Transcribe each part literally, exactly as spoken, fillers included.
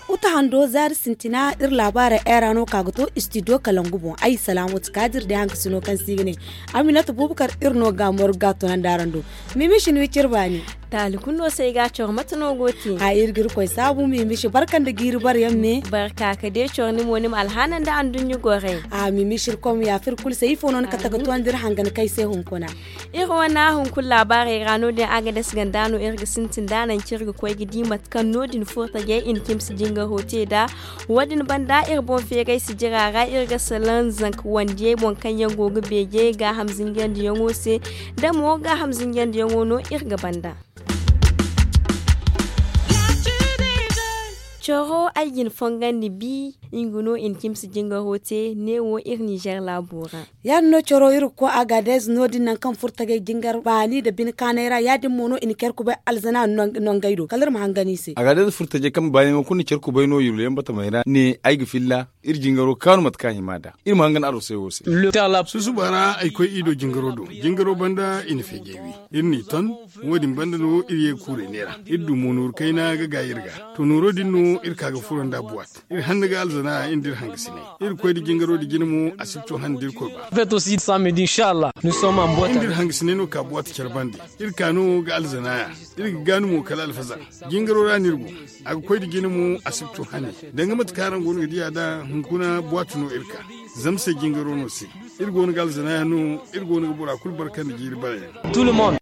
Uta hando zaari sintina iri laabaarey ay ra no ka ga to istidiyo kalangu boŋ. Ay salaamu ti kaadir day haŋ ka sino kaŋ se i ga ne aminata buubakar. Iri no ga mooro ga tunandi araŋ do. Mimi shin wi cire baani. Taali kulu no se ay ga a coro mate no go te? A iri ga iri koy saabu mimi shi barka nda jiiri bare yaŋ me. Barka ka de coro ni mo ni ma alhaana nda anduɲɲa gorey. A mimi shi iri koy ma yaafa iri kulu se ifo no ni kate ga toonandi iri hangan kay se hunkuna. Iri wane hunkuna laabaarey ra no- din a ga dasi ganda no iri ga sintin da naŋ kaŋ iri ga koy ga di mate kaŋ no- din furtajey i na cimsi jingaro te nd'a. Wo- din banda iri boŋ feeray sijira ra iri ga salaŋ zanka wandiyey boŋ kaŋ yaŋ go ga beeje gaaham zinjandiyaŋo se. Da mo gaaham zinjandiyaŋo no iri ga banda. Coro ay ga ni fongandi bi nga no i na cimsi jingaro te neewo iri nizer laabo ra. Ya- din no coro iri ga koy agaadez no- din nangu kaŋ furtajey jingar baani nda bine kaanay ra ya- din mo no i na care kubay alzana nangey do kala iri ma hangan i se. Agaadez furtajey kaŋ baani yaŋo kulu na care kubay no yullo yaŋ batamey ra ne ay ga filla iri jingaro kaanu mate kaŋ a hima nd'a. Iri ma hangan arosey wo se. Susuba ra ay koy i do jingaro do. Jingaro banda i na feejey wi. Iri n'i ton. Wo- din banda no iri ye ga kuurey neera iri du mo nooru kayna ga gaay iri ga. To nooro din no iri ka ga furo nda buwat. Iri hanna ga alzana iri nda iri hangasiney. Iri koy nda jingaro din jina mo a si ga to han nda iri koy ba. Iri nda iri hangasiney no ka buwat care bande. Iri ka no ga alzana ya. Iri ga gaanu mo kala alfazar. Jingaro ra no iri go. A ga koy nda jina mo a si ga to hane. Danga mate kaŋ araŋ go no ga diya nd'a hunkuna buwat no iri ka. Zama se jingaro no se. Iri go no ga alzana ya no. Iri go no ga bora kulu barka nda jiiri bare yaŋ.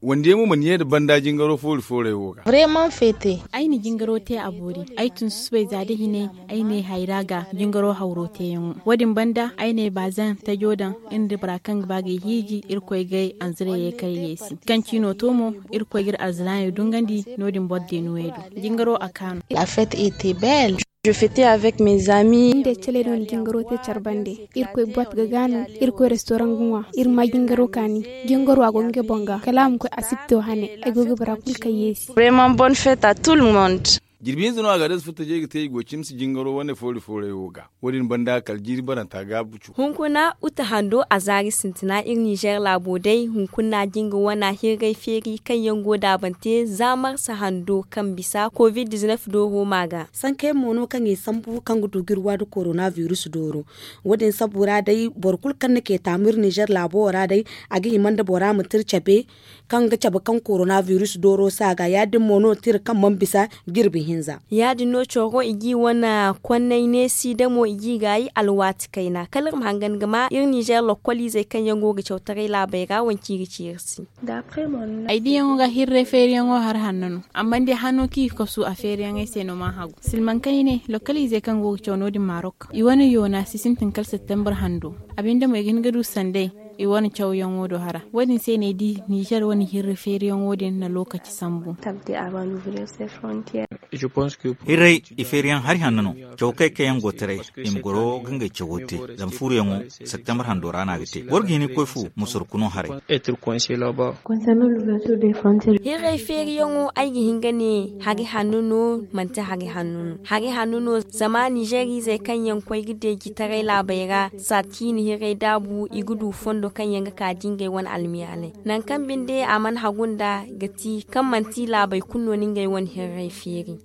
Wande mo mana ye nda banda jingaro foori fooray wo ga. Vraiment fete. Ay na jingaro te a boori. Ay tun susubay za da hinay. Ay ne hayra ga jingaro hawro teeyaŋo. Wo- din banda ay ne baazan tajo daŋ. Iri nda bora kaŋ ga ba ga ay hiiji irkoy ga ay anzirayey kay yeesi kaŋ ciino to mo. Irkoy ga iri alzanaayey dungandi. No- din boro deenuwey do. Jingaro a kaanu. La fête était belle. Je fêtais avec mes amis. Nda ay caley no na jingaro te care bande. Irkoy buwat ga gaanu. Irkoy restoran ga ŋwa. Iri ma jingaro kaani. Jingaro a go ngey boŋ ga kala a ma koy asibto hane. Ay go ga bora kulu kay yeesi. Vraiment bonne fête à tout le monde. Jirbi hinza no a ga day furtajey ga te i go cimsi jingaro wane foori fooray wo ga. Wo- din banda kala jiiri baranta gaabu cu. Hunkuna uta hando a zaari sintina iri nizer laabo day hunkuna jinga wana hirray feeri kaŋ yaŋ go daabante za marsa hando kaŋ bisa covid diznef dooro ma ga. Sanka yaŋ mo no kaŋ i sambu kaŋ ga du ga iri waadu korona virus dooro. Wo- din sabu ra day boro kulu kaŋ na kay taamu iri nizer laabo wo ra day a ga hima nda bora ma tira cabe kaŋ ga cabe kaŋ korona virus dooro se a ga ya- din mo no tira kaŋ mana bisa jirbi hinza. Ya- din no coro i g'i wane konnay neesi da mo i g'i gaayi alwaati kayna kala iri ma hangan ga ma iri nizer lokkoliizey kaŋ yaŋ go ga cawtaray laabey ra wanci iri ci iri se. Ay diyaŋo ga hirray feeriyaŋo hari hanno no. Amma day hano kaŋ i ga kasu a feeriyaŋey se no mana hagu silmaŋ kaŋ i ne lokkoliizey kaŋ go ga caw no- din marok i wane yoona si sintin kala septembar hando. A binde mo i ga hin ga du sanday i wane cawyaŋo do hara. Wo- din se no ay di nizer wane hirri feeriyaŋo din na lookaci sambu. Hirray i feeriyaŋ hari hanno no. Caw kay kaŋ yaŋ go taray i ma goro ga ngey cawo te. Zama fuuruyaŋo septembar hando ra no a ga te boro ga hin ga koy fu ma sorku no haray. Hirray feeriyaŋo ay ga hin ga ne hari hanno no manti hari hanno no. Hari hanno no zama nizer izey kaŋ yaŋ koy ga deeji taray laabey ra saati ciine hirray daabu i ga du fondo kaŋ yaŋ ga ka di ngey wane almiyaalay. Nangu kaŋ binde a mana hagu nda ga ti kaŋ manti laabey kulu no ni ngey wane hirray feeri.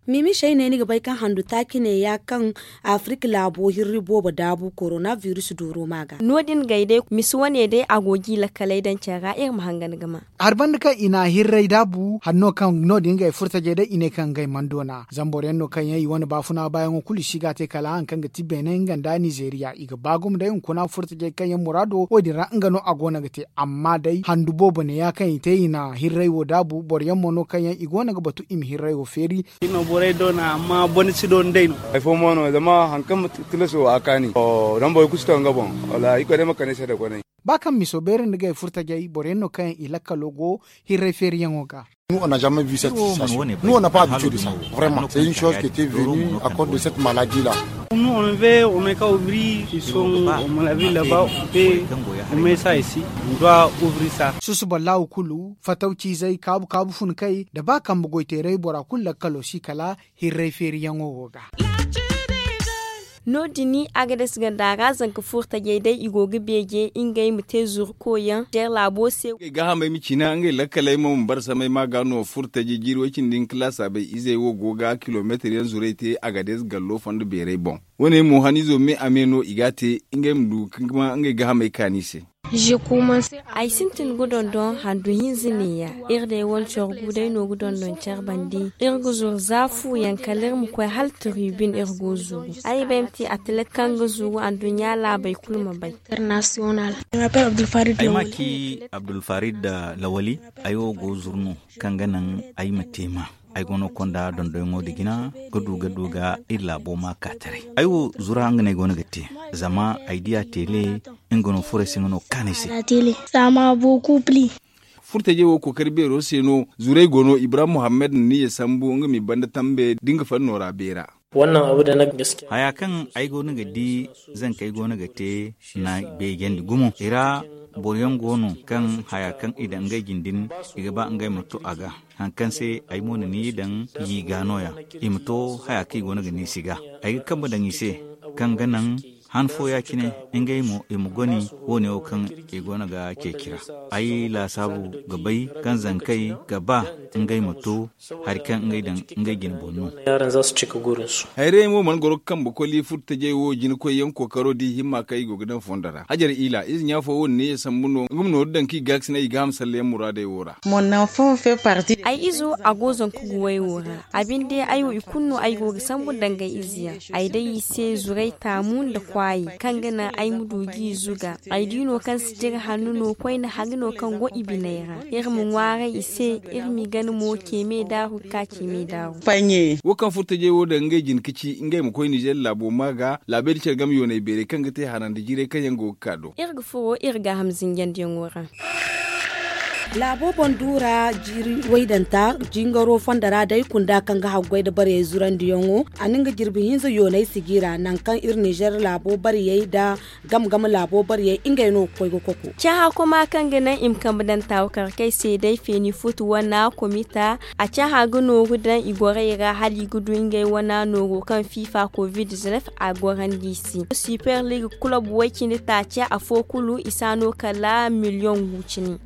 Miimi sey ne ni ga bay kaŋ handu taaci ne ya kaŋ afirik laabo hirri boobo daabu korona virus dooro ma ga. No- din gay day misi wane day a go g'i lakkaley daŋ care ra iri ma hangan ga ma. Hari banda kaŋ i na hirray daabu hanno kaŋ no- din ngey furtajey day i ne kaŋ ngey mana doona zama boro yaŋ no kaŋ yaŋ i wane baafuna baayaŋo kulu i si ga a te kala hari kaŋ ga ti beene nga nda nizeriya i ga ba gumo day hunkuna furtajey kaŋ yaŋ muraado wo- din ra nga no a go no ga te. Amma day handu boobo ne ya kaŋ i te i na hirray wo daabu boro yaŋ mo no kaŋ yaŋ i go no ga batu i ma hirray wo feeri. Iri no borey doona amma bone si doona day no. Hari fo mo no zama hari kaŋ tilaso a kaani. Zama boro kulu si to nga boŋ. Wala iri koy day ma kande se da konay. Ba kaŋ miso beeri nda gay furtajey boro yaŋ no kaŋ yaŋ i lakkalo go hirray feeriyaŋo ga. Nous on n'a pas habitude de ça vraiment c'est une chose qui était venue à cause de cette maladie là. Nous on veut, on met qu'à ouvrir, ils sont, à mon avis, là-bas, on peut, on met ça ici, on doit ouvrir ça. Susuba laawu kulu, fatawciizey, kaabu-kaabu funkey, da ba kambe goyteeray bora kulu lakkalo si kala hirray feeriyaŋo wo ga. No- din, agades ganda ra zanka furtajey day i go ga beeje ngey ma te zuru koyyaŋ jeer laabo se. Ngey gaahamey ma cina ngey lakkaley mo ma bara samay ma ga no furtajey jiiri way cindi nka laasaabey izey wo go ga kilomeetir yaŋ zurey te agades gallo fondo beerey boŋ. Wo- ne mo haniizo me a me no i ga a te ngey ma du ka ma ngey gaahamey kaani se. Ay sintin ga dondon handu hinza neeya. Iri day wane coro gu day no ga dondon care bandi. Iri ga zuru za fu yaŋ kala iri ma koy hala tiribin iri go zuru. Ay bay ma te atilet kaŋ ga zuru anduɲɲa laabey kulu ma bay. Ay ma ci abdulfarid lawali. Ay wo go zuru no kaŋ ga naŋ ay ma te ma. Ay go no konda dondoyaŋo da jina ga du ga du ga iri laabo ma ka taray. Ay wo zura nga no ay go no ga te. Zama ay di a tele nga no furay se nga no kaanay se. Furtajey wo kookari beero se no zurey go no ibrahim muhammad na niya sambu nga ma i banda tambe da nga fanno ra beera. Haya kaŋ ay go no ga di zankey go no ga te na beejandi gumo i ra. Boro yaŋ go no kaŋ haya kaŋ i daŋ ngey jindin i ga ba ngey ma to a ga. Haŋ kaŋ se ay mo na ni daŋ yi ga no- ya i ma to haya kaŋ i go no ga ni si ga. Ay ga kambe daŋ i se kaŋ ga naŋ han fo ya- cine ngey mo i ma goni wo- ne wo kaŋ i go no ga ceeci ra. Ay laasaabu ga bay kaŋ zankey ga ba ngey ma to hari kaŋ ngey daŋ ngey jine boŋ no. Hayray mo mana goro ga kambe koli furtajey wo jina koyyaŋ kookaro da i himma kaŋ i go ga daŋ fondo ra hajar ila ize ɲa fo wo- din ne ya sambu no nga ma nooru daŋ kaŋ i gaakasinay i ga ham sallayaŋ muraadey wo ra. Ay izo a go zanka guwey wo ra. A binde ay wo i kulu no ay go ga sambu dangay ize yaŋ. Ay day i se zuray taamu nda kwaayi kaŋ ga naŋ ay ma du ga i zuga. Ay di no kaŋ si jire hanno no koyne hari no kaŋ go i biney ra. Iri ma ŋwaaray i se iri m'i gana mo ceeme daaru ga ka ceeme daaru. Wo kaŋ furtajey wo daŋ ngey jina ka ci ngey ma koy nizer laabo ma ga laabey da care game yooney beerey kaŋ ga te harandi jiirey kaŋ yaŋ go ga ka do. Iri ga furo iri gaaham zinjandiyaŋo ra. Laabo boŋ duura jiiri waydanta jingaro fondo ra day kunda kaŋ ga haggoy nda barey zurandiyaŋo. A na nga jirbi hinza yoonay sijira nangu kaŋ iri nizer laabo bariyey nda gamgam laabo bariyey ngey no ga koy ga koko. Cahakoma kaŋ ga naŋ i ma kambe daŋ taawu karkey se day feeni futu wana komita. A caha ga nooru daŋ i gorey ra hala i ga du ngey wana nooru kaŋ fifa covid-19 a gorandi i se. Super league kulob way-cindi taaci afo kulu i si a no kala miliyoŋ gu cine.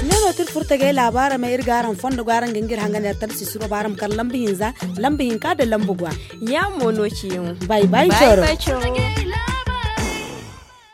Nga no tira furtagay laabaara ma iri ga araŋ fondo go araŋ ga nga iri hangan iri tarsi suro ba araŋ ma kar lamba hinza, lamba hinka nda lamba gwa. Yaamo no ciyaŋo. Bay bay coro.